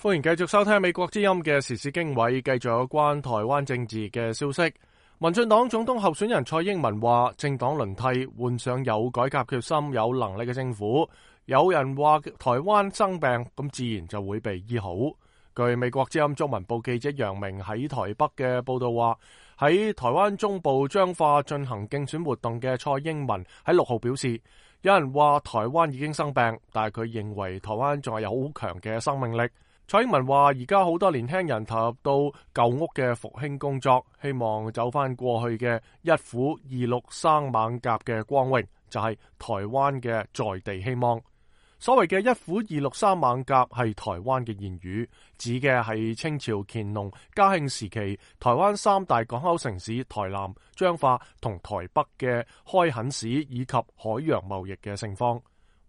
歡迎繼續收聽美國之音嘅時事經緯，繼續有關台灣政治嘅消息。民進黨總統候選人蔡英文話，政黨輪替，換上有改革決心、有能力嘅政府。有人話台灣生病，咁自然就會被醫好。據美國之音中文部記者楊明喺台北嘅報道話，喺台灣中部彰化進行競選活動嘅蔡英文喺6號表示，有人話台灣已經生病，但係佢認為台灣仲係有好強嘅生命力。蔡英文話：而家好多年輕人投入到舊屋嘅復興工作，希望走翻過去嘅一虎二鹿生猛甲嘅光榮，就係台灣嘅在地希望。所謂嘅一虎二鹿生猛甲係台灣嘅言語，指嘅係清朝乾隆嘉慶時期台灣3大港口城市台南、彰化同台北嘅開墾史以及海洋貿易嘅盛況。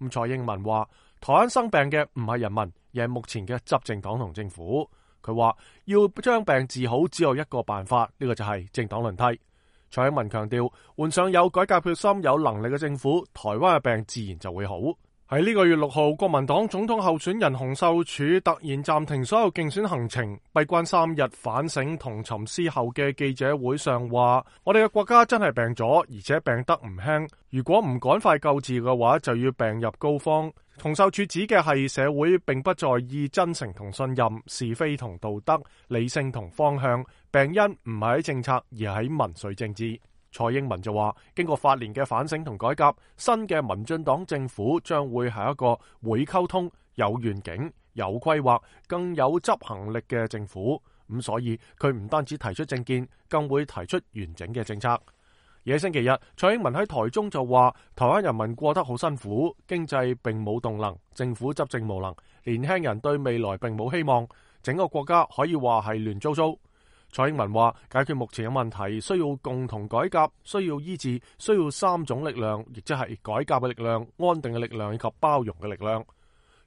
蔡英文話：台灣生病嘅唔係人民，而係目前嘅執政黨同政府。佢話要將病治好，只有一個辦法，呢個就係政黨輪替。蔡英文強調，換上有改革決心、有能力嘅政府，台灣嘅病自然就會好。喺呢個月6號，國民黨總統候選人洪秀柱突然暫停所有競選行程，閉關3日反省同沉思後嘅記者會上話：我哋嘅國家真係病咗，而且病得唔輕。如果唔趕快救治嘅話，就要病入膏肓。洪秀柱指嘅係社會並不在意真誠同信任、是非同道德、理性同方向，病因唔係喺政策，而喺民粹政治。蔡英文就話，經過8年嘅反省同改革，新嘅民進黨政府將會係一個會溝通、有願景、有規劃、更有執行力嘅政府。咁所以佢唔單止提出政見，更會提出完整嘅政策。而喺星期日，蔡英文喺台中就話，台灣人民過得好辛苦，經濟並冇動能，政府執政無能，年輕人對未來並冇希望，整個國家可以話係亂糟糟。蔡英文話，解決目前嘅問題需要共同改革，需要醫治，需要3種力量，亦即係改革嘅力量、安定嘅力量以及包容嘅力量。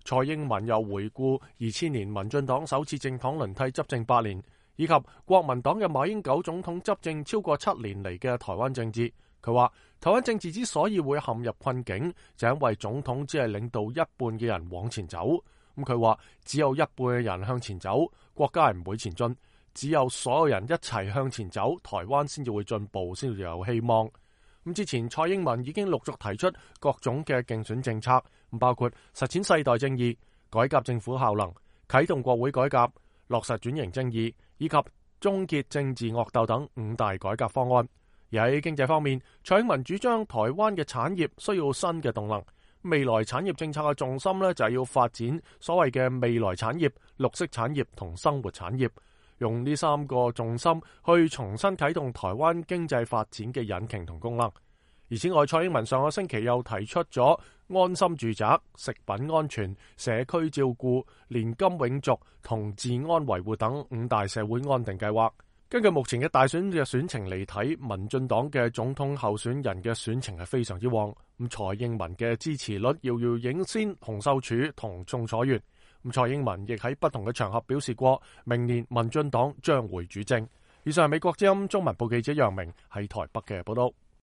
蔡英文又回顧2000年民進黨首次政黨輪替執政8年，以及國民黨嘅馬英九總統執政超過7年嚟嘅台灣政治。佢話台灣政治之所以會陷入困境，就因為總統只係領導一半嘅人往前走。佢話只有一半嘅人向前走，國家係唔會前進。只有所有人一齊向前走，台灣先至會進步，先至有希望。之前蔡英文已經陸續提出各種嘅競選政策，包括實踐世代正義、改革政府效能、啟動國會改革、落實轉型正義以及終結政治惡鬥等5大改革方案。而喺經濟方面，蔡英文主張台灣嘅產業需要新嘅動能，未來產業政策嘅重心呢，就係要發展所謂嘅未來產業、綠色產業同生活產業。用呢3個重心去重新啟動台灣經濟發展嘅引擎同功能。而此外，蔡英文上個星期又提出咗安心住宅、食品安全、社區照顧、年金永續同治安維護等5大社會安定計劃。根據目前嘅大選嘅選情嚟睇，民進黨嘅總統候選人嘅選情係非常之旺。蔡英文嘅支持率遙遙領先洪秀柱同宋楚瑜。蔡英文亦喺不同嘅場合表示過，明年民進黨將會主政。以上係美國之音中文部記者楊明喺台北嘅報道。